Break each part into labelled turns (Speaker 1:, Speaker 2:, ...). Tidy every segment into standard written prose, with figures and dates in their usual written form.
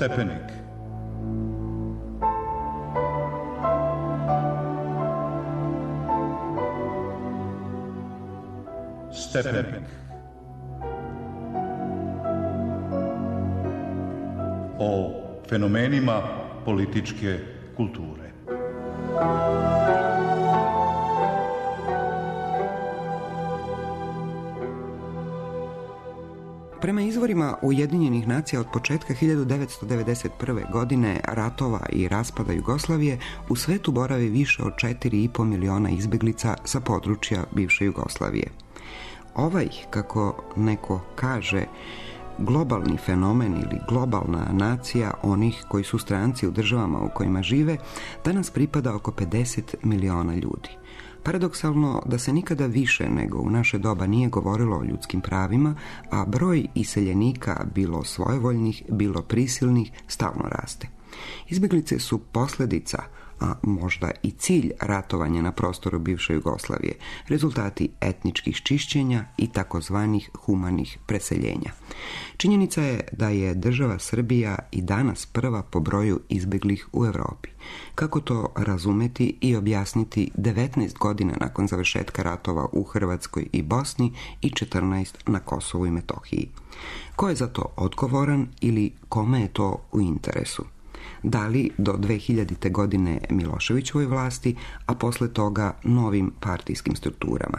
Speaker 1: Stepenik. Stepenik. O fenomenima političke kulture.
Speaker 2: Prema izvorima Ujedinjenih nacija od početka 1991. godine ratova i raspada Jugoslavije u svetu boravi više od 4,5 miliona izbeglica sa područja bivše Jugoslavije. Ovaj, kako neko kaže, globalni fenomen ili globalna nacija onih koji su stranci u državama u kojima žive danas pripada oko 50 miliona ljudi. Paradoksalno da se nikada više nego u naše doba nije govorilo o ljudskim pravima, a broj iseljenika, bilo svojevoljnih, bilo prisilnih, stalno raste. Izbjeglice su posljedica, a možda i cilj ratovanja na prostoru bivše Jugoslavije, rezultati etničkih čišćenja i takozvanih humanih preseljenja. Činjenica je da je država Srbija i danas prva po broju izbjeglih u Europi. Kako to razumeti i objasniti 19 godina nakon završetka ratova u Hrvatskoj i Bosni i 14 na Kosovu i Metohiji? Ko je za to odgovoran ili kome je to u interesu? Da li do 2000. godine Miloševićevoj vlasti, a posle toga novim partijskim strukturama?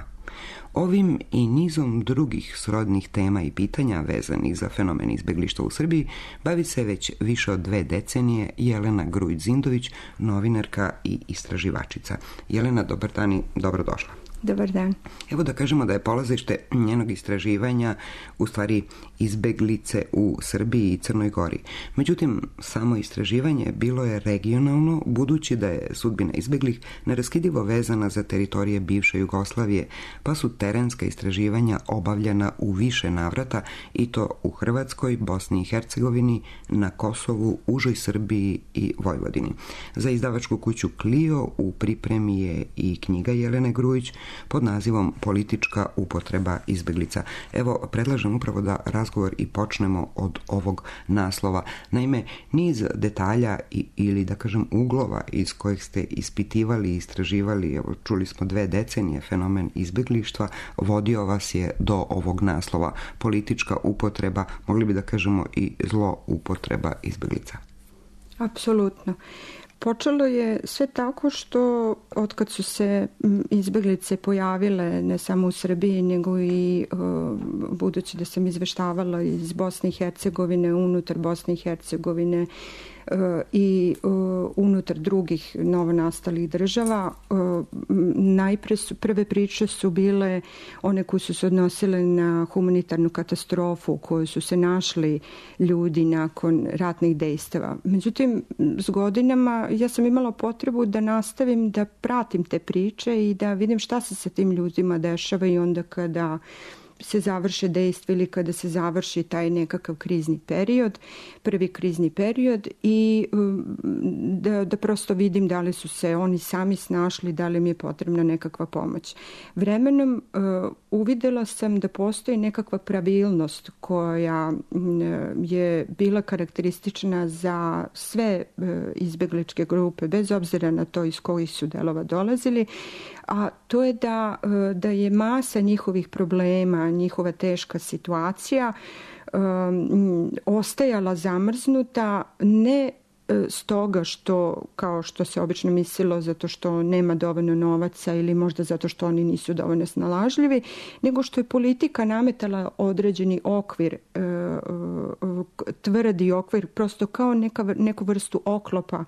Speaker 2: Ovim i nizom drugih srodnih tema i pitanja vezanih za fenomen izbjeglištva u Srbiji bavi se već više od 2 decenije Jelena Grujić-Zindović, novinarka i istraživačica. Jelena, dobar dan i dobrodošla.
Speaker 3: Dobar dan.
Speaker 2: Evo da kažemo da je polazište njenog istraživanja u stvari izbeglice u Srbiji i Crnoj Gori. Međutim, samo istraživanje bilo je regionalno, budući da je sudbina izbeglih neraskidivo vezana za teritorije bivše Jugoslavije, pa su terenska istraživanja obavljena u više navrata i to u Hrvatskoj, Bosni i Hercegovini, na Kosovu, užoj Srbiji i Vojvodini. Za izdavačku kuću Clio u pripremi je i knjiga Jelene Grujić pod nazivom Politička upotreba izbeglica. Evo, predlažem upravo da razgovor i počnemo od ovog naslova. Naime, niz detalja ili da kažem uglova iz kojih ste ispitivali i istraživali, evo, čuli smo 2 decenije fenomen izbeglištva, vodio vas je do ovog naslova. Politička upotreba, mogli bi da kažemo i zloupotreba izbeglica.
Speaker 3: Apsolutno. Počelo je sve tako što otkad su se izbeglice pojavile ne samo u Srbiji nego i budući da sam izveštavala iz Bosne i Hercegovine, unutar Bosne i Hercegovine i unutar drugih novonastalih država. Prve priče su bile one koje su se odnosile na humanitarnu katastrofu u kojoj su se našli ljudi nakon ratnih dejstava. Međutim, s godinama ja sam imala potrebu da nastavim da pratim te priče i da vidim šta se sa tim ljudima dešava i onda kada se završe dejstva ili kada se završi taj nekakav krizni period, prvi krizni period i da prosto vidim da li su se oni sami snašli, da li mi je potrebna nekakva pomoć. Vremenom uvidela sam da postoji nekakva pravilnost koja je bila karakteristična za sve izbegličke grupe, bez obzira na to iz kojih su delova dolazili, a to je da je masa njihovih problema, njihova teška situacija ostajala zamrznuta ne stoga što, kao što se obično mislilo, zato što nema dovoljno novaca ili možda zato što oni nisu dovoljno snalažljivi, nego što je politika nametala određeni okvir, tvrdi okvir, prosto kao neku vrstu oklopa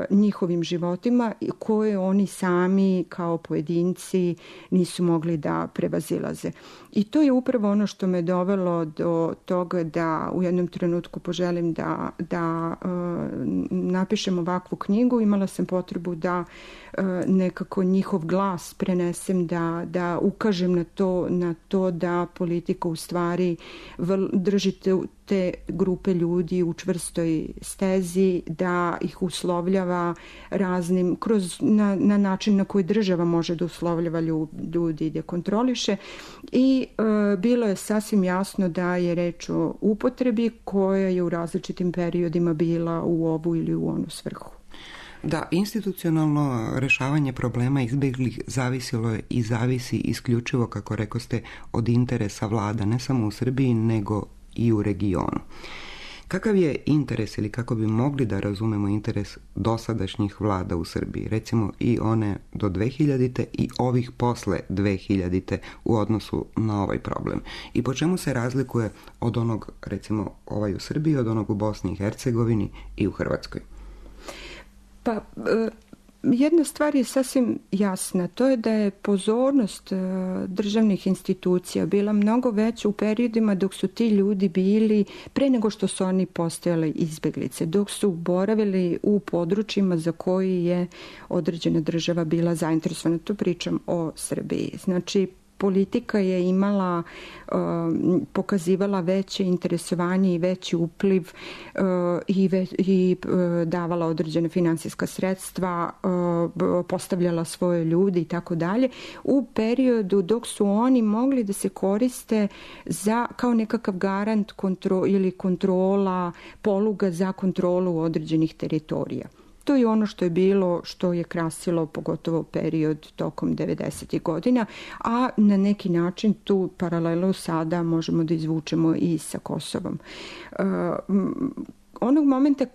Speaker 3: njihovim životima koje oni sami kao pojedinci nisu mogli da prevazilaze. I to je upravo ono što me dovelo do toga da u jednom trenutku poželim da napišem ovakvu knjigu. Imala sam potrebu da nekako njihov glas prenesem, da ukažem na to da politika u stvari drži drži te grupe ljudi u čvrstoj stezi, da ih uslovljava raznim, na način na koji država može da uslovljava ljudi i da kontroliše. I bilo je sasvim jasno da je reč o upotrebi koja je u različitim periodima bila u ovu ili u onu svrhu.
Speaker 2: Da, institucionalno rešavanje problema izbeglih zavisilo je i zavisi isključivo, kako rekoste, od interesa vlada, ne samo u Srbiji, nego i u regionu. Kakav je interes ili kako bi mogli da razumemo interes dosadašnjih vlada u Srbiji, recimo i one do 2000. i ovih posle 2000. u odnosu na ovaj problem? I po čemu se razlikuje od onog, recimo, ovaj u Srbiji, od onog u Bosni i Hercegovini i u Hrvatskoj?
Speaker 3: Pa, jedna stvar je sasvim jasna, to je da je pozornost državnih institucija bila mnogo veća u periodima dok su ti ljudi bili, pre nego što su oni postajali izbeglice, dok su boravili u područjima za koji je određena država bila zainteresovana. Tu pričam o Srbiji. Znači, politika je imala, pokazivala veće interesovanje i veći upliv i davala određene finansijska sredstva, postavljala svoje ljudi i tako dalje, u periodu dok su oni mogli da se koriste kao nekakav garant ili kontrola, poluga za kontrolu određenih teritorija. To je ono što je bilo, što je krasilo pogotovo period tokom 90. godina, a na neki način tu paralelu sada možemo da izvučemo i sa Kosovom. Onog momenta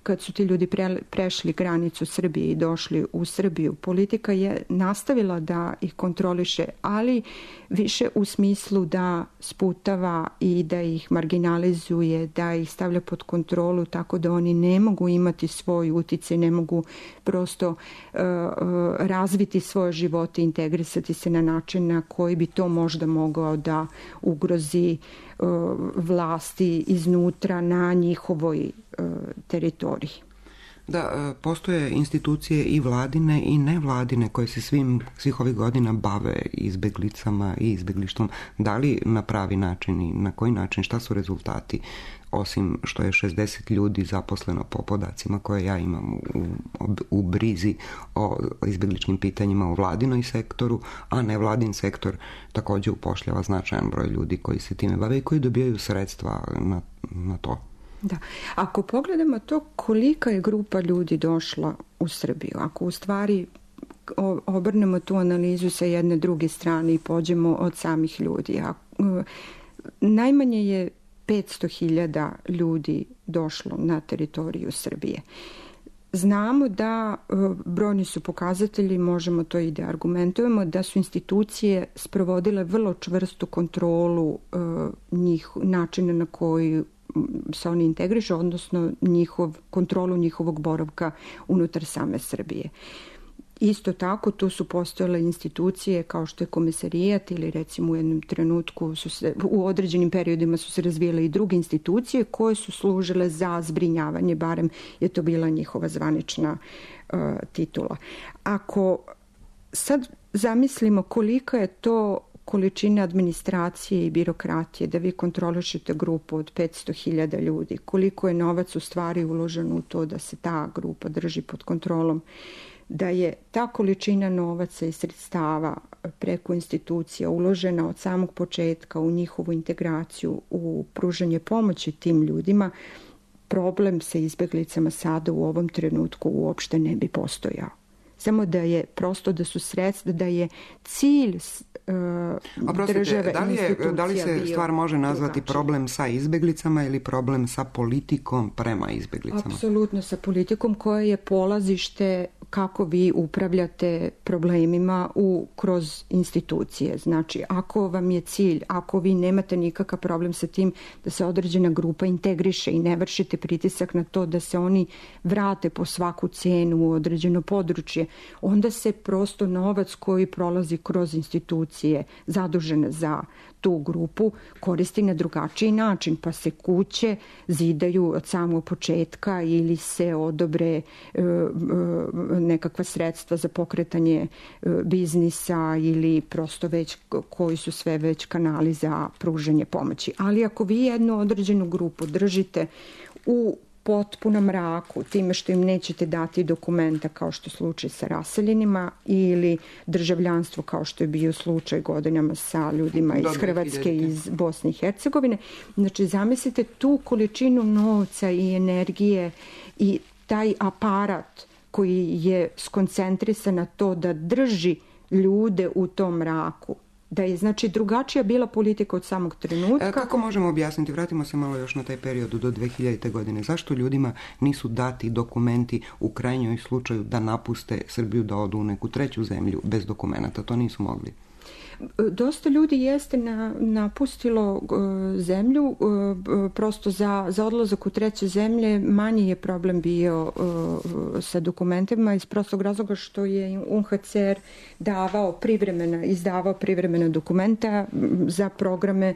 Speaker 3: kad su ti ljudi prešli granicu Srbije i došli u Srbiju, politika je nastavila da ih kontroliše, ali više u smislu da sputava i da ih marginalizuje, da ih stavlja pod kontrolu tako da oni ne mogu imati svoj uticaj, ne mogu prosto razviti svoje živote, integrisati se na način na koji bi to možda mogao da ugrozi vlasti iznutra na njihovoj teritoriji.
Speaker 2: Da, postoje institucije i vladine i nevladine koje se svih ovih godina bave izbeglicama i izbeglištvom. Da li na pravi način i na koji način, šta su rezultati, osim što je 60 ljudi zaposleno po podacima koje ja imam u brizi o izbegličkim pitanjima u vladinoj sektoru, a nevladin sektor također upošljava značajan broj ljudi koji se time bave i koji dobijaju sredstva na to.
Speaker 3: Da. Ako pogledamo to kolika je grupa ljudi došla u Srbiju, ako u stvari obrnemo tu analizu sa jedne druge strane i pođemo od samih ljudi, najmanje je 500.000 ljudi došlo na teritoriju Srbije. Znamo da brojni su pokazatelji, možemo to i da argumentujemo, da su institucije sprovodile vrlo čvrstu kontrolu načina na koji se oni integrišu, odnosno kontrolu njihovog boravka unutar same Srbije. Isto tako, tu su postojale institucije kao što je Komesarijat ili recimo u jednom trenutku u određenim periodima su se razvijale i druge institucije koje su služile za zbrinjavanje, barem je to bila njihova zvanična titula. Ako sad zamislimo kolika je to količina administracije i birokratije, da vi kontrolišete grupu od 500.000 ljudi, koliko je novac u stvari uloženo u to da se ta grupa drži pod kontrolom, da je ta količina novaca i sredstava preko institucija uložena od samog početka u njihovu integraciju, u pružanje pomoći tim ljudima, problem sa izbeglicama sada u ovom trenutku uopšte ne bi postojao. Samo da je prosto da su sredstva, da je cilj države institucija.
Speaker 2: Da li se stvar može nazvati problem sa izbeglicama ili problem sa politikom prema izbeglicama?
Speaker 3: Apsolutno sa politikom koja je polazište kako vi upravljate problemima kroz institucije. Znači, ako vam je cilj, ako vi nemate nikakav problem sa tim da se određena grupa integriše i ne vršite pritisak na to da se oni vrate po svaku cenu u određeno područje, onda se prosto novac koji prolazi kroz institucije zadužene za tu grupu koristi na drugačiji način, pa se kuće zidaju od samog početka ili se odobre nekakva sredstva za pokretanje biznisa ili prosto već koji su sve već kanali za pružanje pomoći. Ali ako vi jednu određenu grupu držite u potpunom mraku, time što im nećete dati dokumenta kao što je slučaj sa raseljenima ili državljanstvo kao što je bio slučaj godinama sa ljudima iz Hrvatske i iz Bosne i Hercegovine. Znači, zamislite tu količinu novca i energije i taj aparat koji je skoncentrisan na to da drži ljude u tom mraku. Da je, znači, drugačija bila politika od samog trenutka.
Speaker 2: Kako možemo objasniti, vratimo se malo još na taj period do 2000. godine, zašto ljudima nisu dati dokumenti u krajnjoj slučaju da napuste Srbiju, da odu u neku treću zemlju bez dokumenta? To nisu mogli.
Speaker 3: Dosta ljudi jeste napustilo zemlju prosto za odlazak u treće zemlje. Manji je problem bio sa dokumentima iz prostog razloga što je UNHCR izdavao privremena dokumenta za programe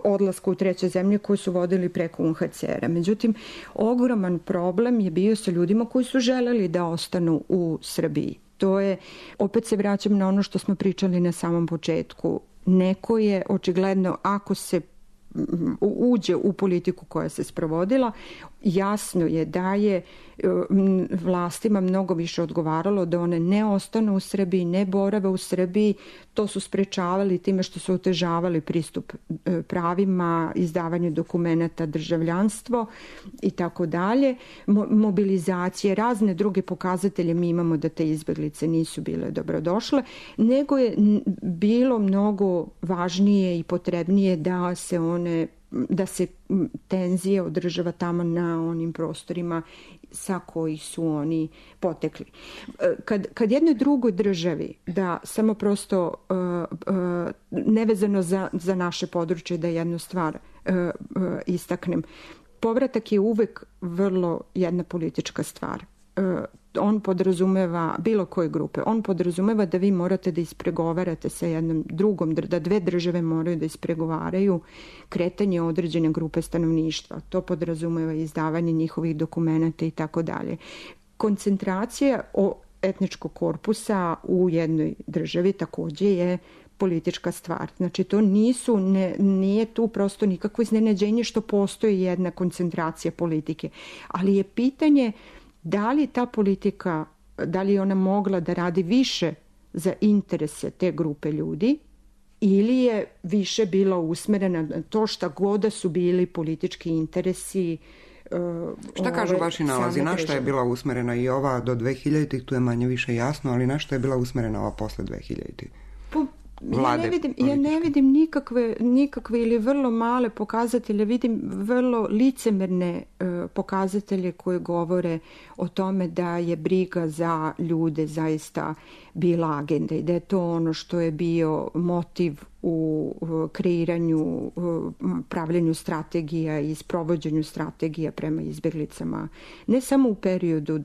Speaker 3: odlaska u treće zemlje koji su vodili preko UNHCR-a. Međutim, ogroman problem je bio sa ljudima koji su želeli da ostanu u Srbiji. To je, opet se vraćam na ono što smo pričali na samom početku. Neko je očigledno, ako se uđe u politiku koja se sprovodila, jasno je da je vlastima mnogo više odgovaralo da one ne ostanu u Srbiji, ne borave u Srbiji. To su sprečavali time što su otežavali pristup pravima, izdavanju dokumenata, državljanstvo i tako dalje. Mobilizacije, razne druge pokazatelje mi imamo da te izbjeglice nisu bile dobrodošle, nego je bilo mnogo važnije i potrebnije da se tenzije održava tamo na onim prostorima sa kojih su oni potekli. Kad jednoj drugoj državi, da samo prosto nevezano za naše područje, da jednu stvar istaknem, povratak je uvek vrlo jedna politička stvar. On podrazumeva, bilo koje grupe, on podrazumeva da vi morate da ispregovarate sa jednom drugom, da dve države moraju da ispregovaraju kretanje određene grupe stanovništva. To podrazumeva izdavanje njihovih dokumenta i tako dalje. Koncentracija etničkog korpusa u jednoj državi takođe je politička stvar. Znači, to nije tu prosto nikakvo iznenađenje što postoji jedna koncentracija politike. Ali je pitanje da li ta politika, da li je ona mogla da radi više za interese te grupe ljudi ili je više bila usmerena na to šta god da su bili politički interesi.
Speaker 2: Šta kažu vaši nalazi? Na što je bila usmerena i ova do 2000-ih? Tu je manje više jasno, ali na što je bila usmerena ova posle 2000-ih?
Speaker 3: Ja ne vidim nikakve ili vrlo male pokazatelje, vidim vrlo licemerne pokazatelje koje govore o tome da je briga za ljude zaista bila agenda i da je to ono što je bio motiv u kreiranju, pravljenju strategija i sprovođenju strategija prema izbjeglicama, ne samo u periodu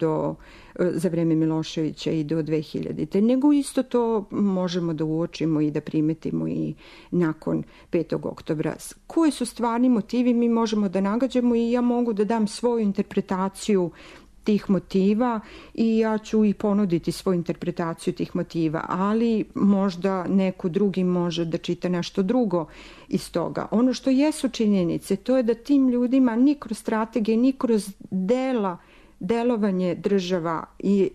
Speaker 3: za vreme Miloševića i do 2000. nego isto to možemo da uočimo i da primetimo i nakon 5. oktobra. Koji su stvarni motivi mi možemo da nagađamo i ja mogu da dam svoju interpretaciju tih motiva i ja ću i ponuditi svoju interpretaciju tih motiva, ali možda neko drugi može da čita nešto drugo iz toga. Ono što jesu činjenice, to je da tim ljudima ni kroz strategije, ni kroz delovanje država i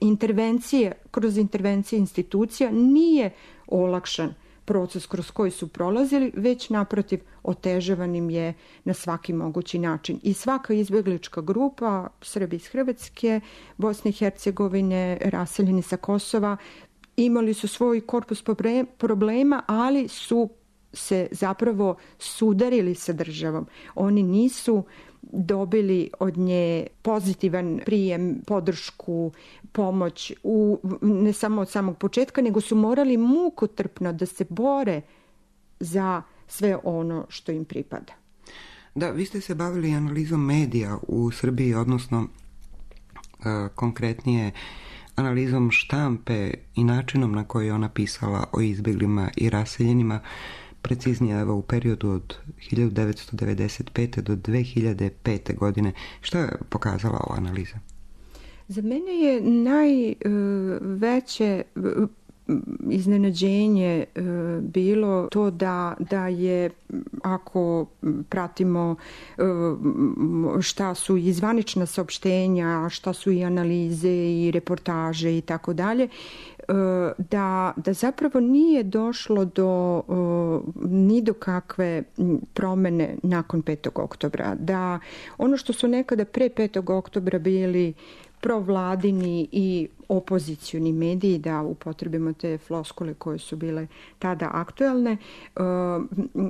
Speaker 3: kroz intervencije institucija nije olakšan proces kroz koji su prolazili, već naprotiv otežavan im je na svaki mogući način. I svaka izbjeglička grupa, Srbi iz Hrvatske, Bosne i Hercegovine, raseljeni sa Kosova, imali su svoj korpus problema, ali su se zapravo sudarili sa državom. Oni nisu dobili od nje pozitivan prijem, podršku, pomoć, ne samo od samog početka, nego su morali mukotrpno da se bore za sve ono što im pripada.
Speaker 2: Da, vi ste se bavili analizom medija u Srbiji, odnosno konkretnije analizom štampe i načinom na koji je ona pisala o izbjeglima i raseljenima, preciznije evo u periodu od 1995. do 2005. godine. Što je pokazala ova analiza?
Speaker 3: Za mene je najveće iznenađenje bilo to da je, ako pratimo šta su i zvanična saopštenja, šta su i analize i reportaže i tako dalje, da zapravo nije došlo ni do kakve promene nakon 5. oktobra. Da ono što su nekada pre 5. oktobra bili provladini i opozicioni mediji, da upotrebimo te floskule koje su bile tada aktuelne,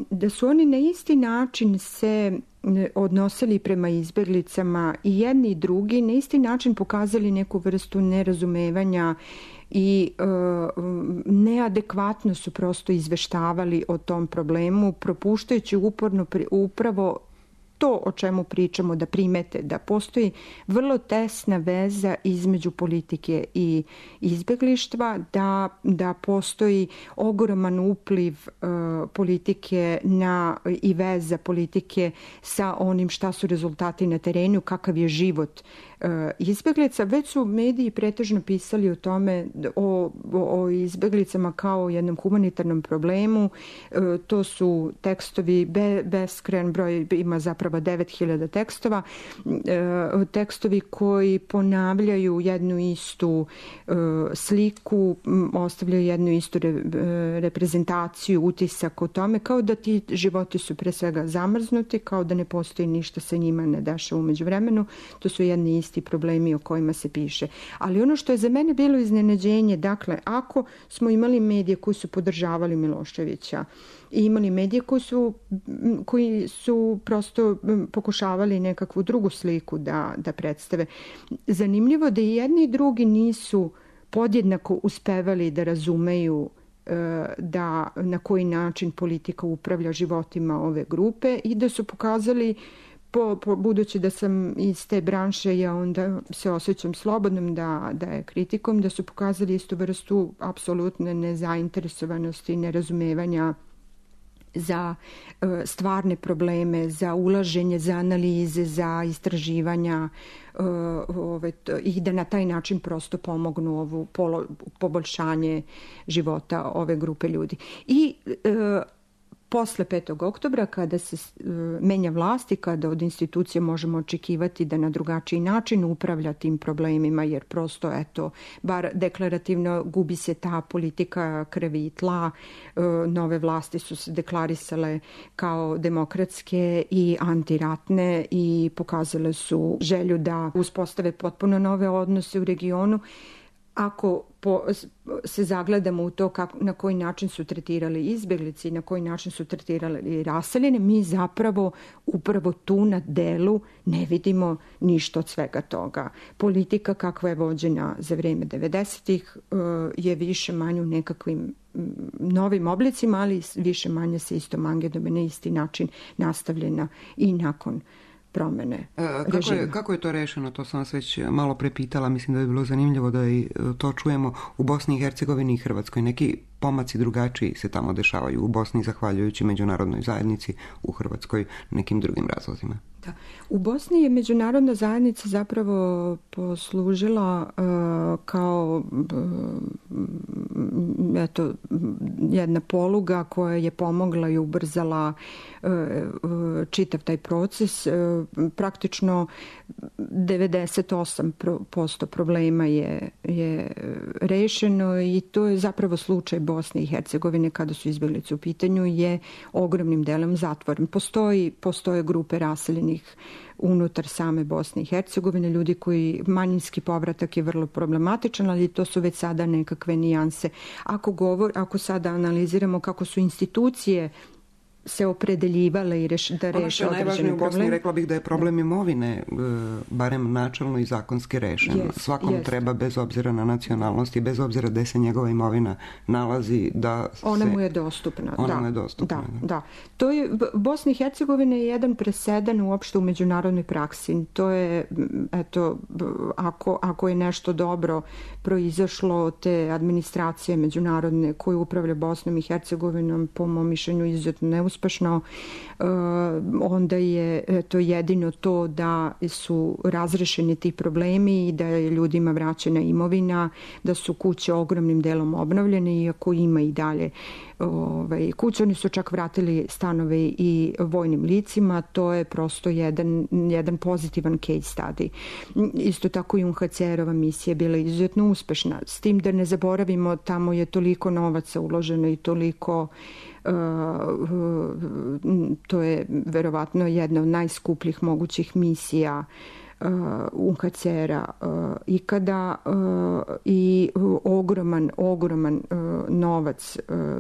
Speaker 3: da su oni na isti način se odnosili prema izbeglicama i jedni i drugi, na isti način pokazali neku vrstu nerazumevanja i neadekvatno su prosto izveštavali o tom problemu, propuštajući uporno upravo to o čemu pričamo, da primete da postoji vrlo tesna veza između politike i izbeglištva, da postoji ogroman upliv politike i veza politike sa onim šta su rezultati na terenu, kakav je život izbeglica. Već su mediji pretežno pisali o tome, o izbeglicama kao jednom humanitarnom problemu. To su tekstovi, beskrajan broj, ima zapravo 9000 tekstova, tekstovi koji ponavljaju jednu istu sliku, ostavljaju jednu istu reprezentaciju, utisak o tome, kao da ti životi su pre svega zamrznuti, kao da ne postoji ništa sa njima ne dešava umeđu vremenu. To su jedni isti problemi o kojima se piše. Ali ono što je za mene bilo iznenađenje, dakle, ako smo imali medije koji su podržavali Miloševića i imali medije koji su prosto pokušavali nekakvu drugu sliku da predstave, zanimljivo da i jedni i drugi nisu podjednako uspevali da razumeju da na koji način politika upravlja životima ove grupe i da su pokazali, budući da sam iz te branše, ja onda se osjećam slobodnom da je kritikom, da su pokazali istu vrstu apsolutne nezainteresovanosti i nerazumevanja za stvarne probleme, za ulaženje, za analize, za istraživanja i da na taj način prosto pomognu ovo poboljšanje života ove grupe ljudi. I posle 5. oktobra, kada se menja vlast i kada od institucije možemo očekivati da na drugačiji način upravlja tim problemima, jer prosto, eto, bar deklarativno gubi se ta politika krvi i tla, nove vlasti su se deklarisale kao demokratske i antiratne i pokazale su želju da uspostave potpuno nove odnose u regionu. Ako se zagledamo u to na koji način su tretirali izbeglici, na koji način su tretirali raseljene, mi zapravo upravo tu na delu ne vidimo ništa od svega toga. Politika kakva je vođena za vreme 90-ih je više manje u nekakvim novim oblicima, ali više manje se istom angedom na isti način nastavljena i nakon promene režima.
Speaker 2: Kako je to rešeno? To sam vas već malo prepitala. Mislim da je bilo zanimljivo da i to čujemo u Bosni i Hercegovini i Hrvatskoj. Neki pomaci drugačiji se tamo dešavaju u Bosni zahvaljujući međunarodnoj zajednici, u Hrvatskoj nekim drugim razlozima.
Speaker 3: Da. U Bosni je međunarodna zajednica zapravo poslužila kao jedna poluga koja je pomogla i ubrzala čitav taj proces. Praktično 98% problema je rešeno i to je zapravo slučaj Bosne i Hercegovine kada su izbeglice u pitanju, je ogromnim delom zatvoren. Postoje grupe raseljenih unutar same Bosne i Hercegovine, ljudi koji, manjinski povratak je vrlo problematičan, ali to su već sada nekakve nijanse. Ako sada analiziramo kako su institucije se opredeljivale i da reše određene probleme.
Speaker 2: Ono što je najvažnije u Bosni, rekla bih da je problem imovine, barem načelno i zakonski rešen. Svakom treba, bez obzira na nacionalnost i bez obzira gde se njegova imovina nalazi, da se...
Speaker 3: Ona mu je dostupna.
Speaker 2: Ona mu je dostupna.
Speaker 3: Da. To je, Bosna i Hercegovina je jedan presedan uopšte u međunarodnoj praksi. To je, eto, ako je nešto dobro proizašlo te administracije međunarodne koje upravlja Bosnom i Hercegovinom, po mom mišljenju izuzetno neuspešno, uspešno, onda je to jedino to da su razrešeni ti problemi i da je ljudima vraćena imovina, da su kuće ogromnim delom obnovljene, iako ima i dalje kuće. Oni su čak vratili stanove i vojnim licima. To je prosto jedan pozitivan case study. Isto tako i UNHCR-ova misija je bila izuzetno uspešna. S tim da ne zaboravimo, tamo je toliko novaca uloženo i toliko to je verovatno jedna od najskupljih mogućih misija UNHCR-a ikada i ogroman novac,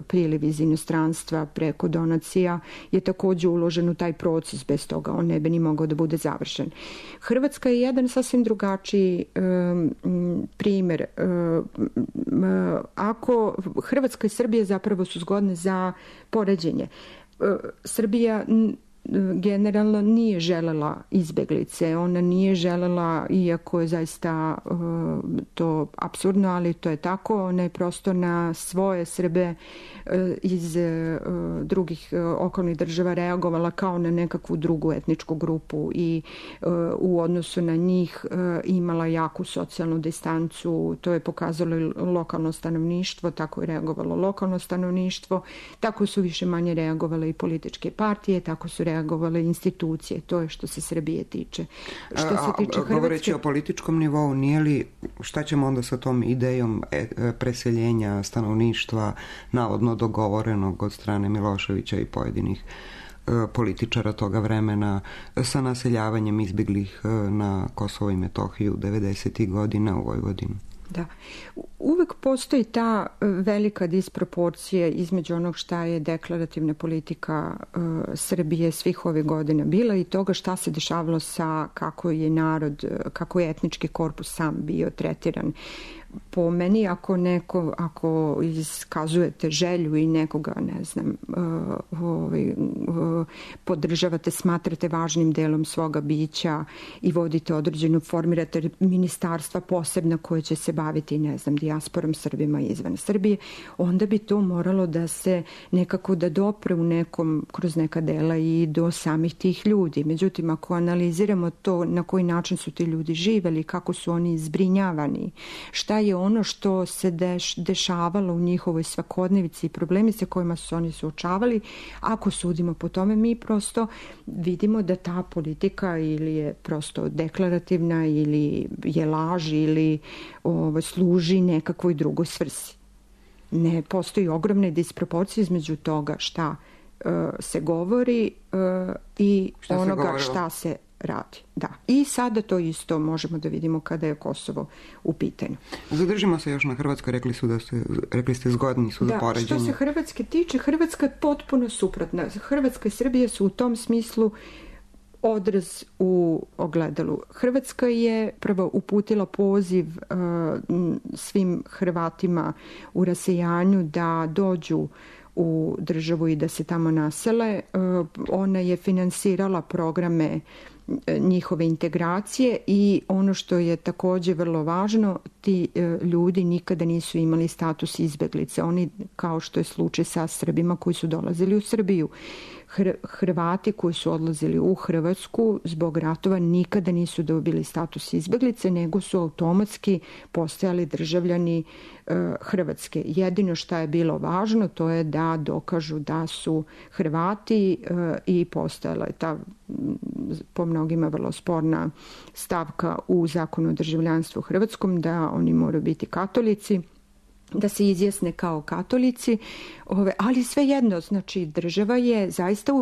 Speaker 3: priliv iz inostranstva preko donacija je takođe uložen u taj proces. Bez toga on ne bi ni mogao da bude završen. Hrvatska je jedan sasvim drugačiji primer. Ako Hrvatska i Srbija zapravo su zgodne za poređenje. Srbija generalno nije želela izbeglice. Ona nije želela, iako je zaista to apsurdno, ali to je tako, ona je prosto na svoje Srbe iz drugih okolnih država reagovala kao na nekakvu drugu etničku grupu i u odnosu na njih imala jaku socijalnu distancu. To je pokazalo lokalno stanovništvo, tako je reagovalo lokalno stanovništvo, tako su više manje reagovale i političke partije, tako su reagovale institucije. To je što se Srbije tiče. Što se tiče Hrvatske...
Speaker 2: Govoreći o političkom nivou, nije li, šta ćemo onda sa tom idejom preseljenja stanovništva navodno dogovorenog od strane Miloševića i pojedinih političara toga vremena sa naseljavanjem izbeglih na Kosovo i Metohiju 90. godina u Vojvodinu?
Speaker 3: Da. Uvek postoji ta velika disproporcija između onog šta je deklarativna politika Srbije svih ovih godina bila i toga šta se dešavalo sa kako je narod, kako je etnički korpus sam bio tretiran. Po meni, ako iskazujete želju i nekoga, ne znam, podržavate, smatrate važnim delom svoga bića i vodite određenu, formirate ministarstva posebna koje će se baviti, ne znam, dijasporom Srbima izvan Srbije, onda bi to moralo da se nekako da dopre u nekom, kroz neka dela i do samih tih ljudi. Međutim, ako analiziramo to na koji način su ti ljudi živeli, kako su oni zbrinjavani, šta je ono što se dešavalo u njihovoj svakodnevici i problemi sa kojima su oni suočavali, ako sudimo po tome, mi prosto vidimo da ta politika ili je prosto deklarativna ili je laž ili služi nekakvoj drugoj svrsi. Ne postoji ogromne disproporcije između toga šta se govori i onoga šta se radi. Da. I sada to isto možemo da vidimo kada je Kosovo u pitanju.
Speaker 2: Zadržimo se još na Hrvatskoj, rekli ste zgodni su za poređenje.
Speaker 3: Što se Hrvatske tiče, Hrvatska je potpuno suprotna. Hrvatska i Srbija su u tom smislu odraz u ogledalu. Hrvatska je prvo uputila poziv svim Hrvatima u rasejanju da dođu u državu i da se tamo nasele. Ona je finansirala programe njihove integracije i ono što je takođe vrlo važno, ti ljudi nikada nisu imali status izbeglice. Oni, kao što je slučaj sa Srbima koji su dolazili u Srbiju, Hrvati koji su odlazili u Hrvatsku zbog ratova nikada nisu dobili status izbeglice, nego su automatski postajali državljani Hrvatske. Jedino što je bilo važno to je da dokažu da su Hrvati i postojala je ta po mnogima vrlo sporna stavka u zakonu o državljanstvu hrvatskom da oni moraju biti katolici, da se izjasne kao katolici, ali svejedno, znači država je zaista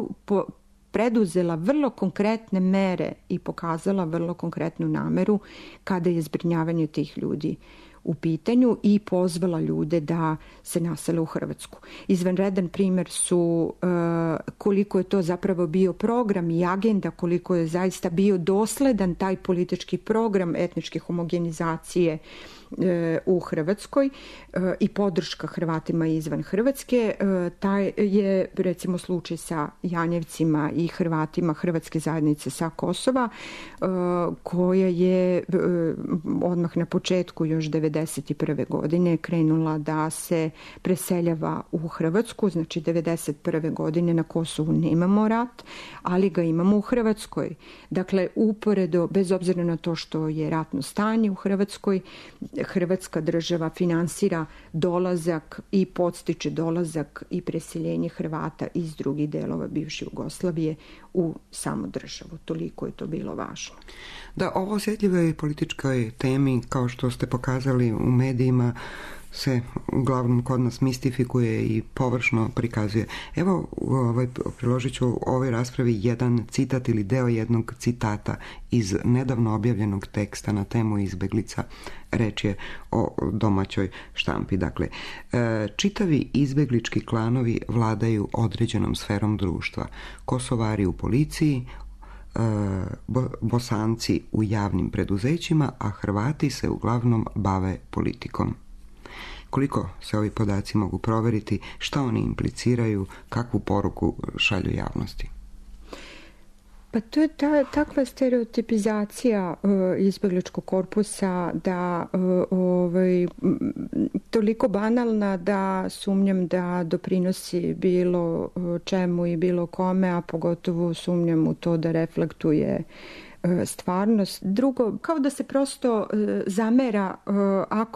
Speaker 3: preduzela vrlo konkretne mere i pokazala vrlo konkretnu nameru kada je zbrinjavanje tih ljudi u pitanju i pozvala ljude da se nasele u Hrvatsku. Izvanredan primjer su koliko je to zapravo bio program i agenda, koliko je zaista bio dosledan taj politički program etničke homogenizacije u Hrvatskoj i podrška Hrvatima izvan Hrvatske. Taj je recimo slučaj sa Janjevcima i Hrvatima Hrvatske zajednice sa Kosova, koja je odmah na početku još 1991. godine krenula da se preseljava u Hrvatsku. Znači 1991. godine na Kosovu nemamo rat, ali ga imamo u Hrvatskoj. Dakle, uporedo, bez obzira na to što je ratno stanje u Hrvatskoj, Hrvatska država finansira dolazak i podstiče dolazak i preseljenje Hrvata iz drugih delova bivše Jugoslavije u samu državu. Toliko je to bilo važno.
Speaker 2: Da, ovo osjetljivoj političkoj temi, kao što ste pokazali u medijima, se uglavnom kod nas mistifikuje i površno prikazuje. Evo, priložit ću u ovoj raspravi jedan citat ili deo jednog citata iz nedavno objavljenog teksta na temu izbeglica. Reč je o domaćoj štampi. Dakle, čitavi izbeglički klanovi vladaju određenom sferom društva. Kosovari u policiji, Bosanci u javnim preduzećima, a Hrvati se uglavnom bave politikom. Koliko se ovi podaci mogu proveriti, šta oni impliciraju, kakvu poruku šalju javnosti?
Speaker 3: Pa to je takva stereotipizacija izbegličkog korpusa da toliko banalna da sumnjam da doprinosi bilo čemu i bilo kome, a pogotovo sumnjam u to da reflektuje stvarnost. Drugo, kao da se prosto zamera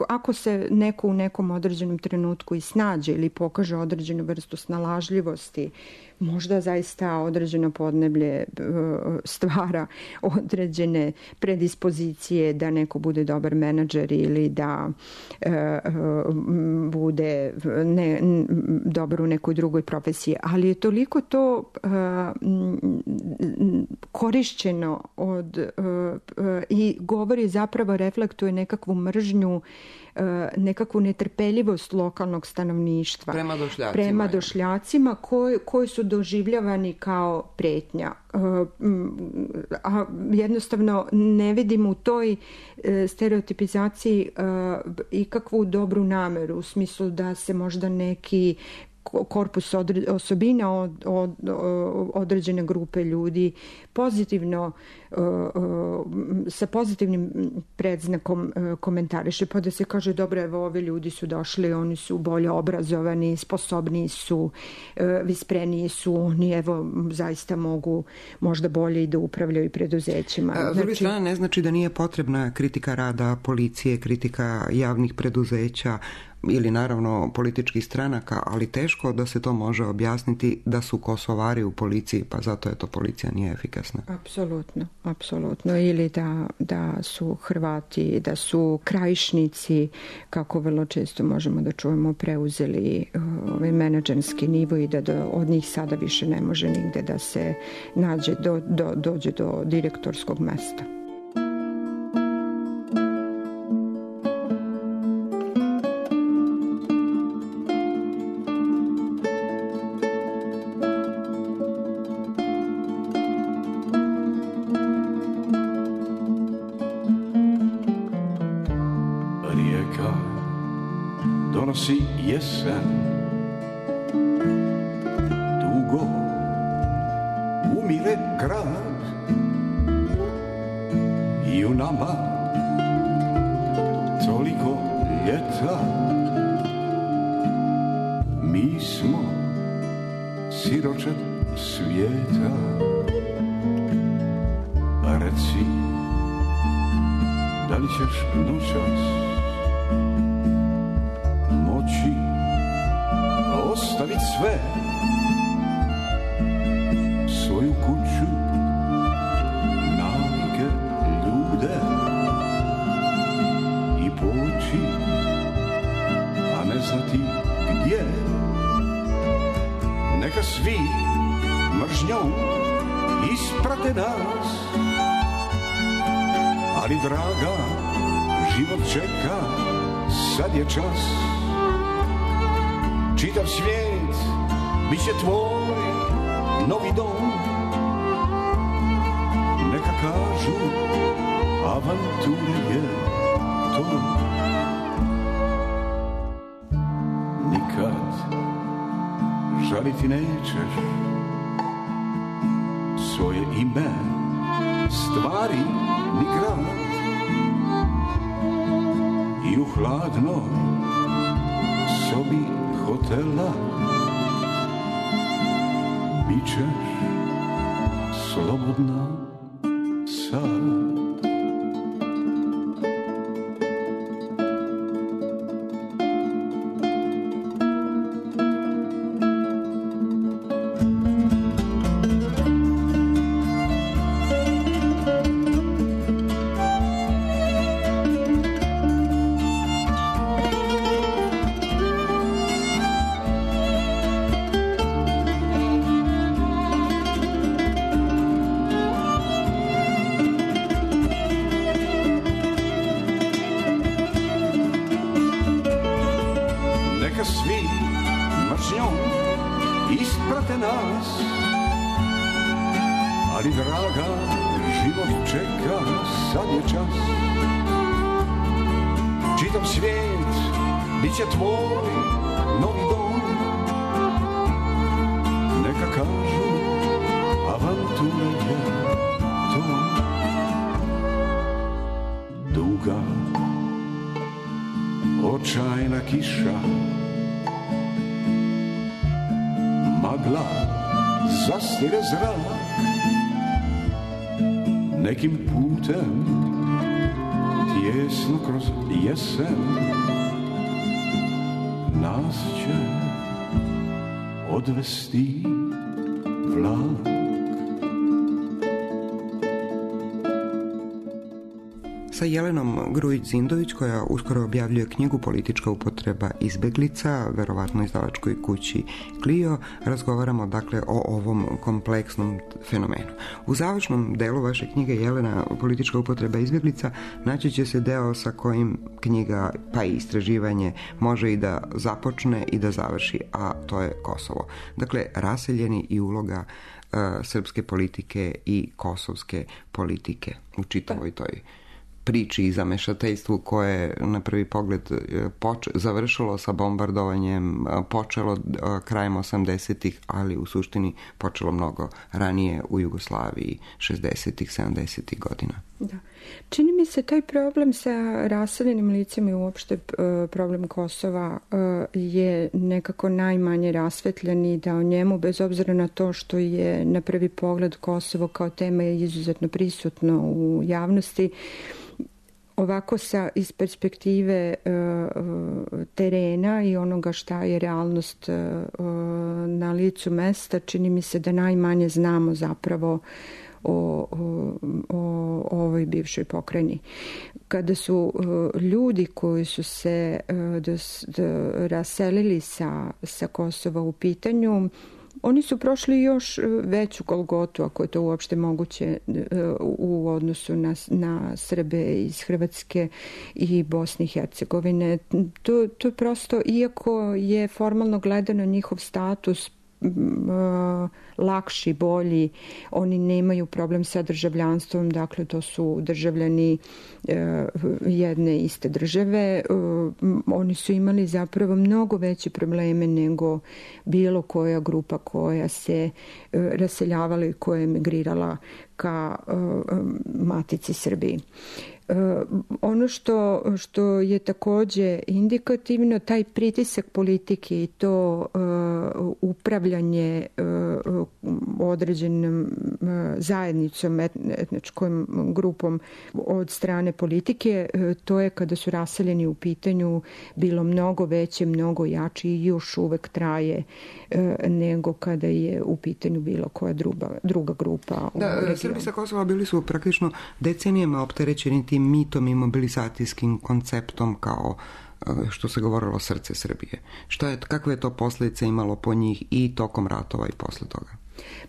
Speaker 3: ako se neko u nekom određenom trenutku i snađe ili pokaže određenu vrstu snalažljivosti, možda zaista određeno podneblje stvara određene predispozicije da neko bude dobar menadžer ili da bude dobar u nekoj drugoj profesiji. Ali je toliko to korišćeno i govori, zapravo reflektuje nekakvu mržnju, nekakvu netrpeljivost lokalnog stanovništva prema došljacima koji su doživljavani kao pretnja. A jednostavno ne vidim u toj stereotipizaciji ikakvu dobru nameru, u smislu da se možda neki korpus osobina od određene grupe ljudi pozitivno, sa pozitivnim predznakom komentariše, pa da se kaže dobro, evo ovi ljudi su došli, oni su bolje obrazovani, sposobniji su, vispreniji su, oni evo zaista mogu možda bolje i da upravljaju preduzećima.
Speaker 2: S druge strane ne znači da nije potrebna kritika rada policije, kritika javnih preduzeća ili naravno političkih stranaka, ali teško da se to može objasniti da su Kosovari u policiji, pa zato je to policija nije efikasna. Apsolutno. Ili da su Hrvati, da su Krajišnici, kako vrlo često možemo da čujemo, preuzeli ovaj menadžerski nivo i da od njih sada više ne može nigde da se dođe do direktorskog mesta.
Speaker 4: Donosi jesen, dugo umire grad i u nama toliko ljeta. Mi smo siroče svijeta. Reci, da li ćeš noćas moći ostaviti sve, svoju kuću, navike, ljude i poći, a ne znati gdje. Neka svi mržnjom isprate nas, ali draga, život čeka, sad je čas. Čitav svijet bit će tvoj novi dom. Neka kažu, avantura je to. žaliti nećeš svoje ime, stvari ni grad. I u hladnoj sobi hotela bit ćeš slobodna sad. Očajna kiša, magla zastire zrak, nekim putem tjesno kroz jesen nas će odvesti vlak.
Speaker 2: Sa Jelenom Grujić-Zindović, koja uskoro objavljuje knjigu Politička upotreba izbeglica, verovatno izdavačkoj kući Clio, razgovaramo dakle o ovom kompleksnom fenomenu. U završnom delu vaše knjige Jelena, Politička upotreba izbeglica, naći će se deo sa kojim knjiga, pa i istraživanje, može i da započne i da završi, a to je Kosovo. Dakle, raseljeni i uloga srpske politike i kosovske politike u čitavoj toj priči i zamešateljstvu koje na prvi pogled završilo sa bombardovanjem, počelo krajem 80-ih, ali u suštini počelo mnogo ranije u Jugoslaviji 60-ih, 70-ih godina.
Speaker 3: Da. Čini mi se taj problem sa raseljenim licima i uopšte problem Kosova je nekako najmanje rasvetljen i da o njemu, bez obzira na to što je na prvi pogled Kosovo kao tema je izuzetno prisutno u javnosti, ovako iz perspektive terena i onoga šta je realnost na licu mesta, čini mi se da najmanje znamo zapravo o ovoj bivšoj pokrajini. Kada su ljudi koji su se raselili sa Kosova u pitanju, oni su prošli još veću golgotu, ako je to uopšte moguće, u odnosu na Srbe iz Hrvatske i Bosne i Hercegovine. To prosto, iako je formalno gledano njihov status lakši, bolji, oni nemaju problem sa državljanstvom, dakle to su državljani jedne iste države. Oni su imali zapravo mnogo veće probleme nego bilo koja grupa koja se raseljavala i koja je emigrirala ka matici Srbiji. Ono što je takođe indikativno, taj pritisak politike i to upravljanje određenom zajednicom, etničkom grupom od strane politike, to je kada su raseljeni u pitanju bilo mnogo veće, mnogo jače i još uvek traje nego kada je u pitanju bilo koja druga grupa.
Speaker 2: Da, Srbi sa Kosova bili su praktično decenijama opterećeni tim mitom i mobilizacijskim konceptom kao što se govorilo srce Srbije. Kakve je to posljedice imalo po njih i tokom ratova i posle toga?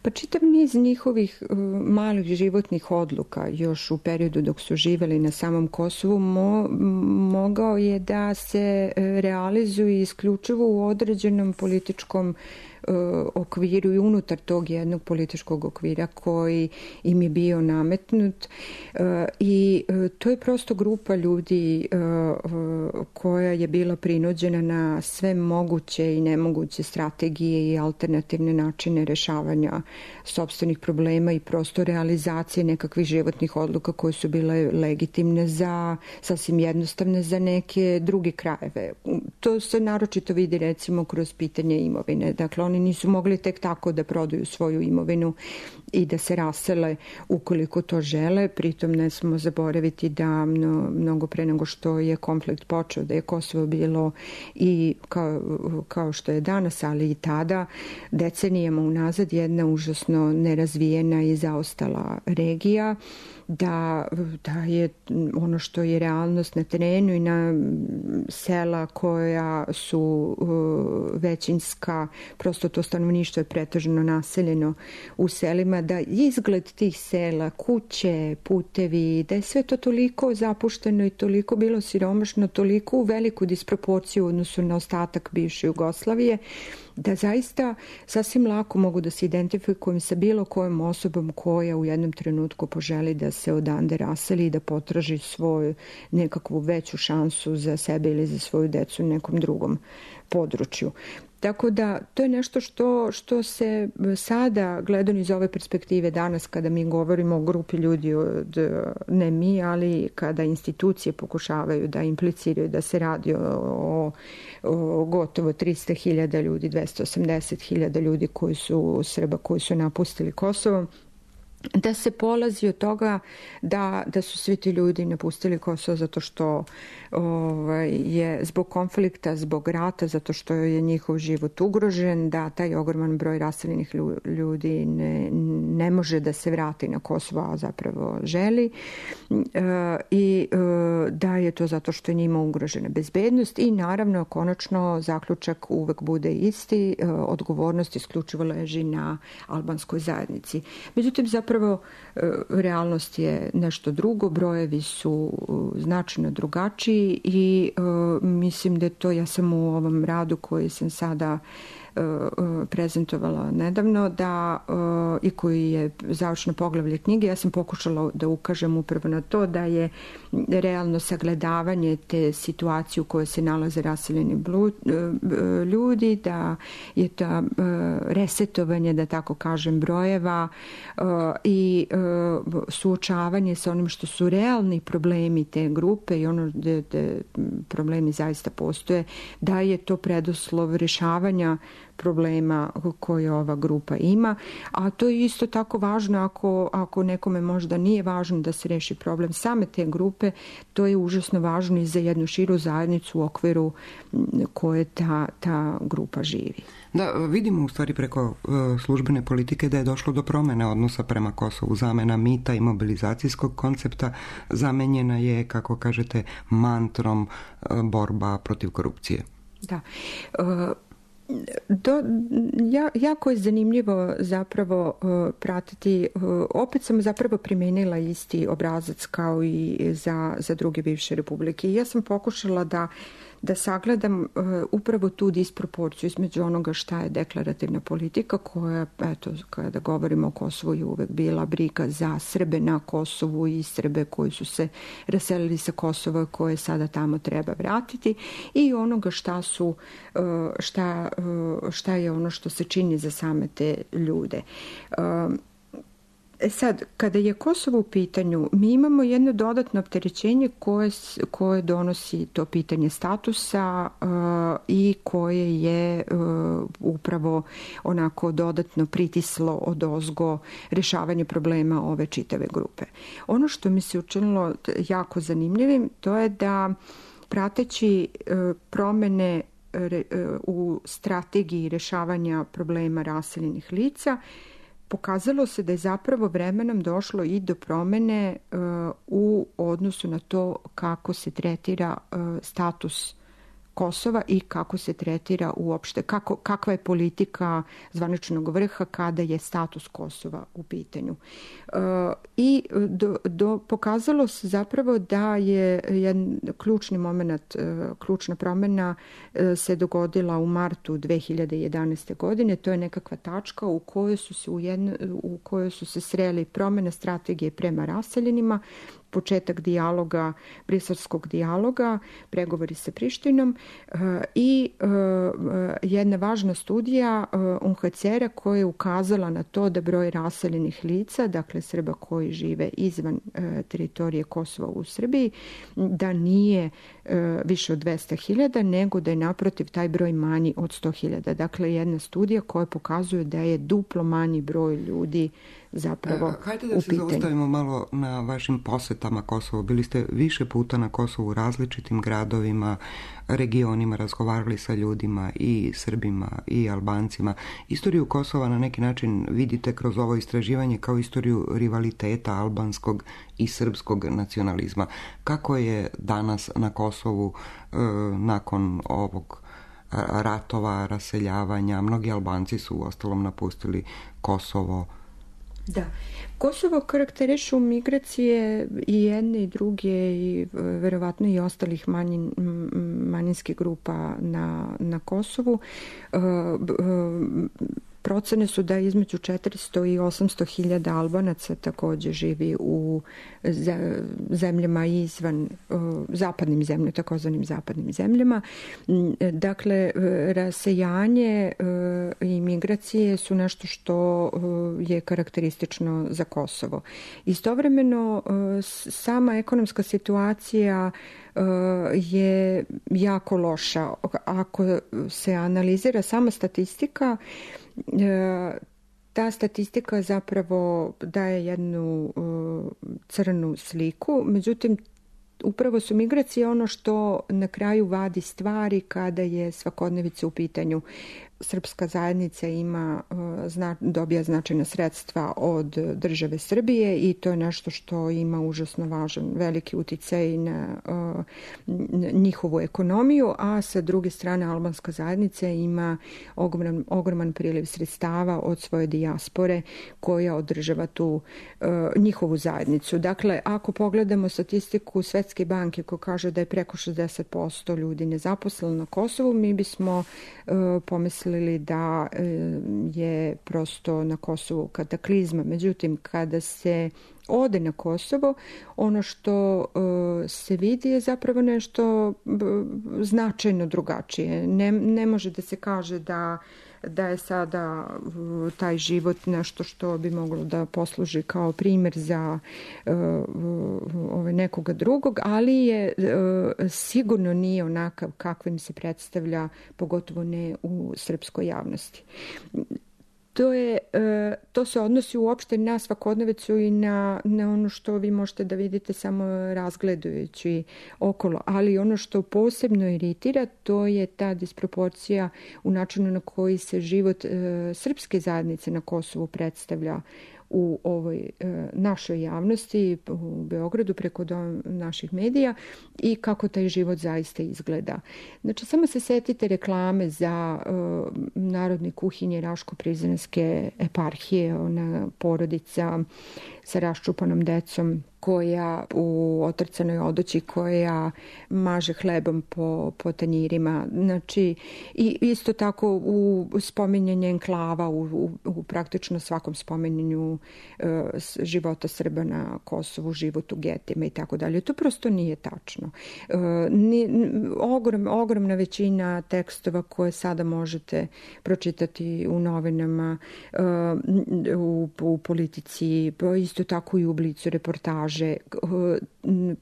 Speaker 3: Pa čitav niz njihovih malih životnih odluka još u periodu dok su živeli na samom Kosovu mogao je da se realizuju isključivo u određenom političkom okviru i unutar tog jednog političkog okvira koji im je bio nametnut i to je prosto grupa ljudi koja je bila prinuđena na sve moguće i nemoguće strategije i alternativne načine rešavanja sopstvenih problema i prosto realizacije nekakvih životnih odluka koje su bile legitimne za sasvim jednostavne za neke druge krajeve. To se naročito vidi recimo kroz pitanje imovine. Dakle, oni nisu mogli tek tako da prodaju svoju imovinu i da se rasele ukoliko to žele. Pritom ne smo zaboraviti da mnogo pre nego što je konflikt počeo, da je Kosovo bilo i kao što je danas, ali i tada decenijama unazad jedna užasno nerazvijena i zaostala regija, da je ono što je realnost na terenu i na sela koja su većinska, prosto to stanovništvo je pretežno naseljeno u selima, da izgled tih sela, kuće, putevi, da je sve to toliko zapušteno i toliko bilo siromašno, toliko u veliku disproporciju u odnosu na ostatak bivše Jugoslavije, da zaista sasvim lako mogu da se identifikujem sa bilo kojom osobom koja u jednom trenutku poželi da se odande raseli i da potraži svoju nekakvu veću šansu za sebe ili za svoju decu u nekom drugom području. Tako da to je nešto što se sada gledano iz ove perspektive danas kada mi govorimo o grupi ljudi, ne mi, ali kada institucije pokušavaju da impliciraju da se radi o gotovo 300.000 ljudi, 280.000 ljudi koji su Srba koji su napustili Kosovo, da se polazi od toga da su svi ti ljudi napustili Kosovo zato što je zbog konflikta, zbog rata, zato što je njihov život ugrožen, da taj ogroman broj raseljenih ljudi ne može da se vrati na Kosovo, a zapravo želi, i da je to zato što je njima ugrožena bezbednost i naravno konačno zaključak uvek bude isti, odgovornost isključivo leži na albanskoj zajednici. Međutim, zapravo realnost je nešto drugo, brojevi su značajno drugačiji i mislim da je to, ja sam u ovom radu koji sam sada prezentovala nedavno i koji je završno poglavlje knjige, ja sam pokušala da ukažem upravo na to da je realno sagledavanje te situacije u kojoj se nalaze raseljeni ljudi, da je to resetovanje, da tako kažem, brojeva i suočavanje sa onim što su realni problemi te grupe i ono gde problemi zaista postoje, da je to preduslov rešavanja problema koje ova grupa ima, a to je isto tako važno ako nekome možda nije važno da se reši problem same te grupe, to je užasno važno i za jednu širu zajednicu u okviru koje ta grupa živi.
Speaker 2: Da, vidimo u stvari preko službene politike da je došlo do promene odnosa prema Kosovu. Zamena mita i mobilizacijskog koncepta zamenjena je, kako kažete, mantrom borba protiv korupcije.
Speaker 3: Da. Jako je zanimljivo zapravo pratiti, opet sam zapravo primenila isti obrazac kao i za druge bivše republike. Ja sam pokušala da sagledam upravo tu disproporciju između onoga šta je deklarativna politika koja, eto, kada govorimo o Kosovu, je uvek bila briga za Srbe na Kosovu i Srbe koji su se raselili sa Kosova koje sada tamo treba vratiti i onoga šta je ono što se čini za same te ljude. Sad, kada je Kosovo u pitanju, mi imamo jedno dodatno opterećenje koje donosi to pitanje statusa i koje je upravo onako dodatno pritislo odozgo rešavanje problema ove čitave grupe. Ono što mi se učinilo jako zanimljivim, to je da prateći promene u strategiji rešavanja problema raseljenih lica, pokazalo se da je zapravo vremenom došlo i do promene u odnosu na to kako se tretira status Kosova i kako se tretira uopšte, kakva je politika zvaničnog vrha kada je status Kosova u pitanju. I pokazalo se zapravo da je jedan ključni moment, ključna promjena se dogodila u martu 2011. godine. To je nekakva tačka u kojoj su se sreli promjene strategije prema raseljenima, početak dijaloga, briselskog dijaloga, pregovori sa Prištinom i jedna važna studija UNHCR-a koja je ukazala na to da broj raseljenih lica, dakle Srba koji žive izvan teritorije Kosova u Srbiji, da nije više od 200.000, nego da je naprotiv taj broj manji od 100.000. Dakle, jedna studija koja pokazuje da je duplo manji broj ljudi zapravo u pitanju.
Speaker 2: Hajde da se zaustavimo malo na vašim posetama Kosovu. Bili ste više puta na Kosovu u različitim gradovima, regionima, razgovarali sa ljudima i Srbima i Albancima. Istoriju Kosova na neki način vidite kroz ovo istraživanje kao istoriju rivaliteta albanskog i srpskog nacionalizma. Kako je danas na Kosovu nakon ovog ratova, raseljavanja? Mnogi Albanci su uostalom napustili Kosovo.
Speaker 3: Da. Kosovo karakterišu migracije i jedne i druge i verovatno i ostalih manjinskih grupa na Kosovu. Procene su da između 400 i 800.000 Albanaca također živi u zemljama izvan zapadnim zemljama, takozvanim zapadnim zemljama. Dakle, rasejanje i migracije su nešto što je karakteristično za Kosovo. Istovremeno, sama ekonomska situacija je jako loša. Ako se analizira sama statistika, ta statistika zapravo daje jednu crnu sliku, međutim upravo su migracije ono što na kraju vadi stvari kada je svakodnevica u pitanju. Srpska zajednica dobija značajna sredstva od države Srbije i to je nešto što ima užasno važan, veliki uticaj na njihovu ekonomiju, a sa druge strane albanska zajednica ima ogroman priliv sredstava od svoje dijaspore koja održava tu njihovu zajednicu. Dakle, ako pogledamo statistiku Svetske banke koja kaže da je preko 60% ljudi nezaposleno na Kosovu, mi bismo pomislili da je prosto na Kosovu kataklizma. Međutim, kada se ode na Kosovo, ono što se vidi je zapravo nešto značajno drugačije. Ne može da se kaže da je sada taj život nešto što bi moglo da posluži kao primjer za nekoga drugog, ali je sigurno nije onakav kakvim se predstavlja, pogotovo ne u srpskoj javnosti. To se odnosi uopšte na svakodnevicu i na ono što vi možete da vidite samo razgledajući okolo. Ali ono što posebno iritira, to je ta disproporcija u načinu na koji se život srpske zajednice na Kosovu predstavlja u ovoj našoj javnosti u Beogradu preko naših medija i kako taj život zaista izgleda. Znači, samo se setite reklame za narodne kuhinje Raško-Prizrenske eparhije, ona porodica sa raščupanom decom koja u otrcanoj odoći koja maže hlebom po tanjirima. Znači, i isto tako u spominjanje enklava, u praktično svakom spominjanju života Srba na Kosovu, život u getima i tako dalje. To prosto nije tačno. Ogromna većina tekstova koje sada možete pročitati u novinama, u politici, isto tako i u Blicu reportaže,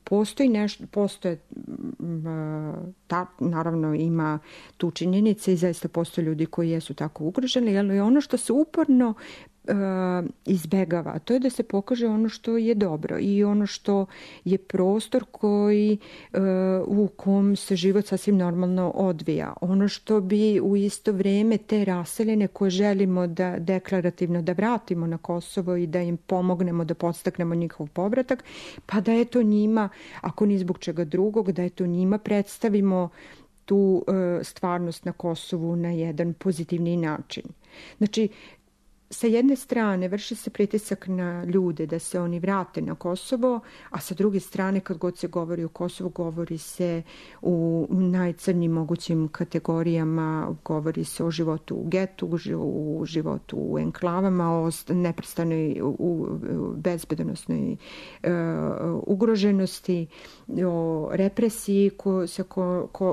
Speaker 3: postoje naravno ima tu činjenice i zaista postoje ljudi koji jesu tako ugroženi, ali ono što se uporno izbegava, to je da se pokaže ono što je dobro i ono što je prostor u kom se život sasvim normalno odvija. Ono što bi u isto vrijeme te raseljene koje želimo da deklarativno da vratimo na Kosovo i da im pomognemo da podstaknemo njihov povratak, pa da eto njima, ako ni zbog čega drugog, da eto njima predstavimo tu stvarnost na Kosovu na jedan pozitivni način. Znači, sa jedne strane vrši se pritisak na ljude da se oni vrate na Kosovo, a sa druge strane kad god se govori o Kosovu, govori se u najcrnjim mogućim kategorijama, govori se o životu u getu, u životu u enklavama, o neprestanoj bezbedonosnoj ugroženosti, o represiji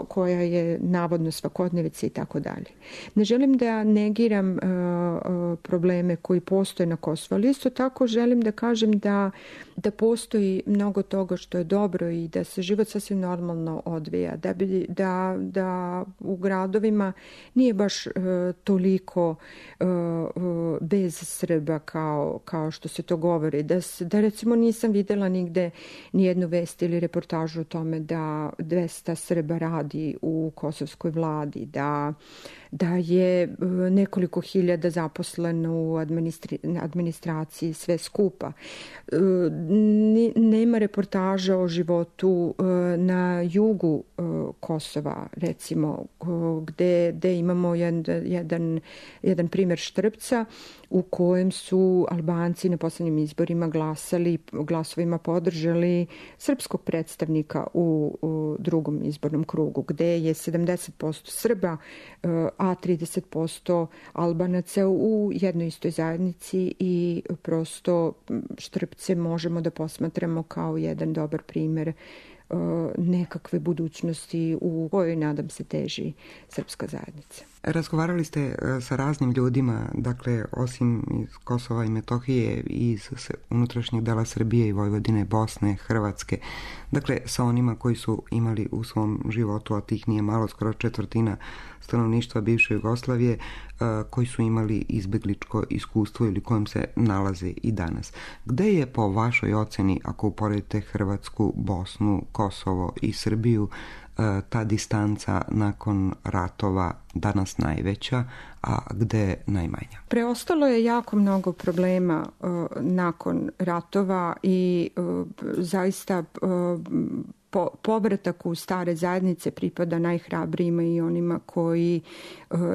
Speaker 3: koja je navodno svakodnevica i tako dalje. Ne želim da negiram probleme koji postoje na Kosovu, ali isto tako želim da kažem da postoji mnogo toga što je dobro i da se život sasvim normalno odvija, da u gradovima nije baš toliko bez Srba kao što se to govori, da recimo nisam videla nigde nijednu vest ili reportažu o tome da 200 Srba radi u kosovskoj vladi, da je nekoliko hiljada zaposleno u administraciji, sve skupa. Nema reportaža o životu na jugu Kosova, recimo, gde imamo jedan primjer Štrpca u kojem su Albanci na poslednjim izborima glasovima podržali srpskog predstavnika u drugom izbornom krugu, gde je 70% Srba, a 30% Albanaca u jednoj istoj zajednici i prosto Štrpce možemo da posmatramo kao jedan dobar primjer nekakve budućnosti u kojoj, nadam se, teži srpska zajednica.
Speaker 2: Razgovarali ste sa raznim ljudima, dakle, osim iz Kosova i Metohije, iz unutrašnjeg dela Srbije i Vojvodine, Bosne, Hrvatske, dakle, sa onima koji su imali u svom životu, a tih nije malo, skoro četvrtina stanovništva bivše Jugoslavije, koji su imali izbegličko iskustvo ili kojem se nalaze i danas. Gde je po vašoj oceni, ako uporedite Hrvatsku, Bosnu, Kosovo i Srbiju, ta distanca nakon ratova danas najveća, a gde najmanja?
Speaker 3: Preostalo je jako mnogo problema nakon ratova i zaista povratak u stare zajednice pripada najhrabrijima i onima koji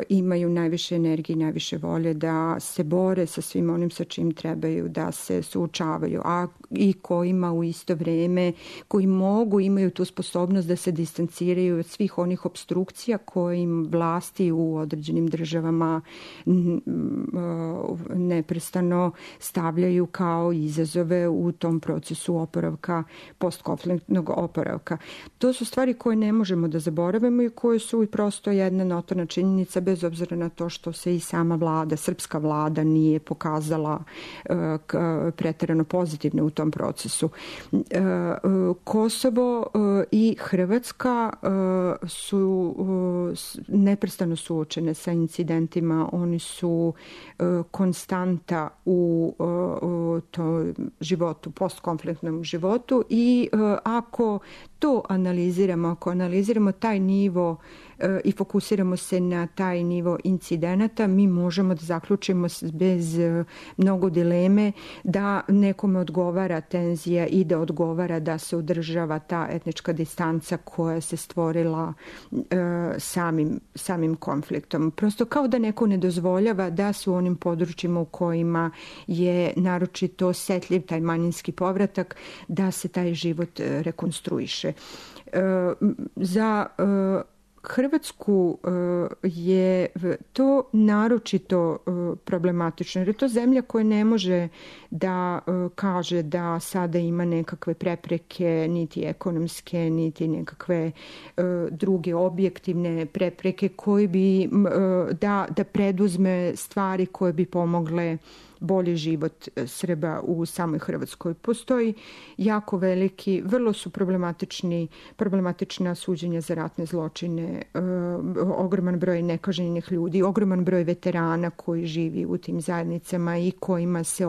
Speaker 3: imaju najviše energije i najviše volje da se bore sa svim onim sa čim trebaju da se suočavaju, a i kojima u isto vrijeme, koji imaju tu sposobnost da se distanciraju od svih onih opstrukcija koje im vlasti u određenim državama neprestano stavljaju kao izazove u tom procesu oporavka, postkonfliktnog oporavka. To su stvari koje ne možemo da zaboravimo i koje su i prosto jedna notorna činjenica, bez obzira na to što se i sama vlada, srpska vlada, nije pokazala preterano pozitivno u tom procesu. Kosovo i Hrvatska su neprestano suočene sa incidentima, oni su konstanta u životu, postkonfliktnom životu i ako to ako analiziramo taj nivo i fokusiramo se na taj nivo incidenata, mi možemo da zaključimo bez mnogo dileme da nekome odgovara tenzija i da odgovara da se održava ta etnička distanca koja se stvorila samim konfliktom. Prosto kao da neko ne dozvoljava da su u onim područjima u kojima je naročito osetljiv taj manjinski povratak, da se taj život rekonstruiše. Za Hrvatsku je to naročito problematično, jer je to zemlja koja ne može da kaže da sada ima nekakve prepreke, niti ekonomske, niti nekakve druge objektivne prepreke koje bi da preduzme stvari koje bi pomogle bolji život Srba u samoj Hrvatskoj. Postoji jako veliki, vrlo su problematična suđenja za ratne zločine, ogroman broj nekažnjenih ljudi, ogroman broj veterana koji živi u tim zajednicama i kojima se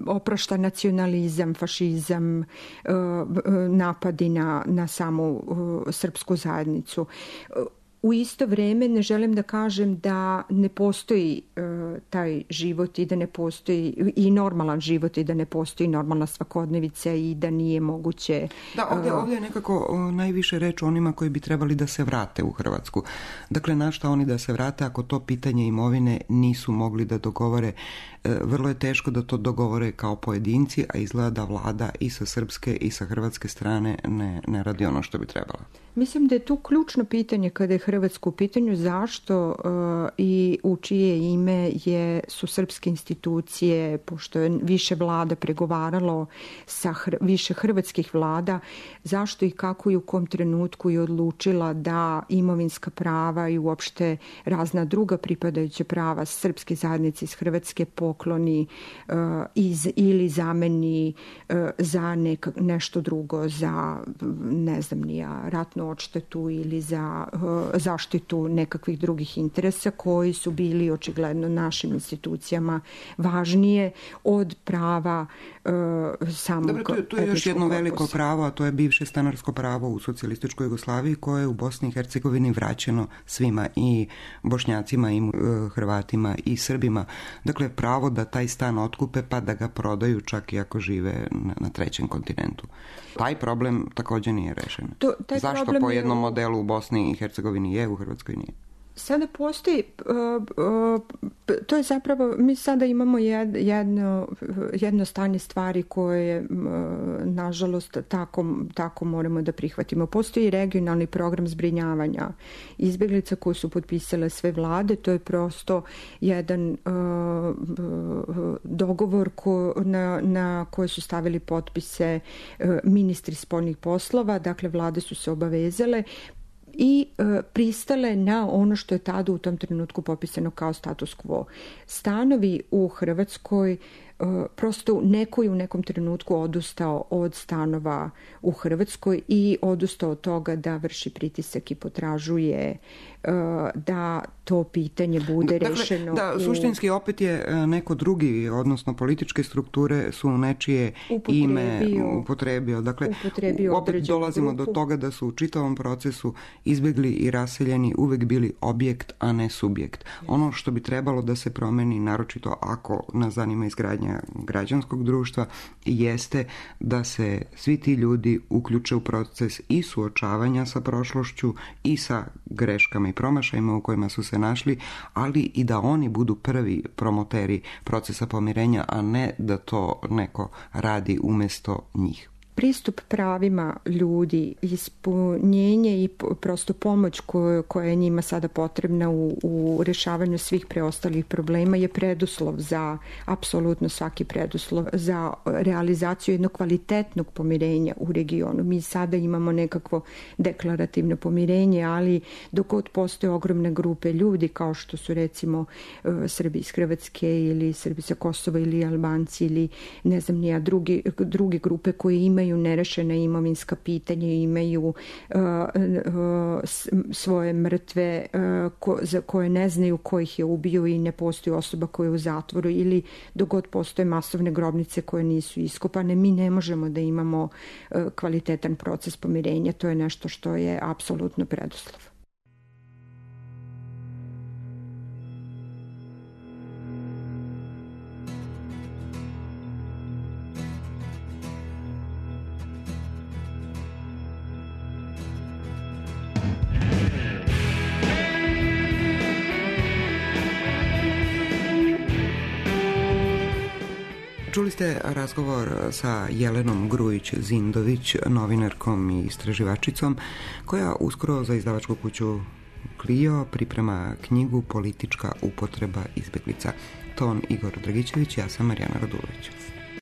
Speaker 3: oprašta nacionalizam, fašizam, napadi na samu srpsku zajednicu. U isto vreme ne želim da kažem da ne postoji taj život i da ne postoji i normalan život i da ne postoji normalna svakodnevica i da nije moguće...
Speaker 2: Da, ovdje je nekako najviše reč o onima koji bi trebali da se vrate u Hrvatsku. Dakle, na šta oni da se vrate ako to pitanje imovine nisu mogli da dogovore? Vrlo je teško da to dogovore kao pojedinci, a izgleda da vlada i sa srpske i sa hrvatske strane ne radi ono što bi trebala.
Speaker 3: Mislim da je tu ključno pitanje kada je Hrvatska u pitanju zašto i u čije ime su srpske institucije, pošto je više vlada pregovaralo sa više hrvatskih vlada, zašto i kako i u kom trenutku je odlučila da imovinska prava i uopšte razna druga pripadajuća prava srpske zajednice iz Hrvatske pokloni ili zameni za nešto drugo, za ne znam nija ratnu odštetu ili za zaštitu nekakvih drugih interesa koji su bili očigledno našim institucijama važnije od prava samog.
Speaker 2: Dobro, tu je još jedno veliko pravo, a to je bivše stanarsko pravo u socijalističkoj Jugoslaviji koje je u Bosni i Hercegovini vraćeno svima, i Bošnjacima i Hrvatima i Srbima. Dakle, pravo da taj stan otkupe pa da ga prodaju čak i ako žive na trećem kontinentu. Taj problem također nije rešen. Zašto po jednom modelu u Bosni i Hercegovini je, u Hrvatskoj nije?
Speaker 3: Sada postoji, to je zapravo, mi sada imamo jedno stanje stvari koje, nažalost, tako moramo da prihvatimo. Postoji regionalni program zbrinjavanja izbjeglica koji su potpisale sve vlade, to je prosto jedan dogovor na koje su stavili potpise ministri spoljnih poslova, dakle vlade su se obavezale i pristale na ono što je tada u tom trenutku popisano kao status quo. Stanovi u Hrvatskoj, prosto neko je u nekom trenutku odustao od stanova u Hrvatskoj i odustao od toga da vrši pritisak i potražuje da to pitanje bude rešeno.
Speaker 2: Suštinski opet je neko drugi, odnosno političke strukture su nečije ime upotrebio. Dakle, opet dolazimo do toga da su u čitavom procesu izbjegli i raseljeni uvek bili objekt, a ne subjekt. Ono što bi trebalo da se promeni, naročito ako nas zanima izgradnja građanskog društva, jeste da se svi ti ljudi uključe u proces i suočavanja sa prošlošću i sa greškama i promašajima u kojima su se našli, ali i da oni budu prvi promoteri procesa pomirenja, a ne da to neko radi umjesto njih.
Speaker 3: Pristup pravima ljudi, ispunjenje i prosto pomoć koja je njima sada potrebna u rješavanju svih preostalih problema je preduslov za, apsolutno svaki preduslov, za realizaciju jednog kvalitetnog pomirenja u regionu. Mi sada imamo nekakvo deklarativno pomirenje, ali dok god postoje ogromne grupe ljudi, kao što su recimo Srbi iz Hrvatske ili Srbi sa Kosova ili Albanci ili ne znam nija druge grupe koje imaju nerešena imovinska pitanja, imaju svoje mrtve za koje ne znaju ko ih je ubio i ne postoji osoba koja je u zatvoru, ili dok god postoje masovne grobnice koje nisu iskopane, mi ne možemo da imamo kvalitetan proces pomirenja. To je nešto što je apsolutno preduslov.
Speaker 2: Čuli ste razgovor sa Jelenom Grujić-Zindović, novinarkom i istraživačicom, koja uskoro za izdavačku kuću Clio priprema knjigu Politička upotreba izbjeglica. Ton Igor Dragićević, ja sam Marijana Radulović.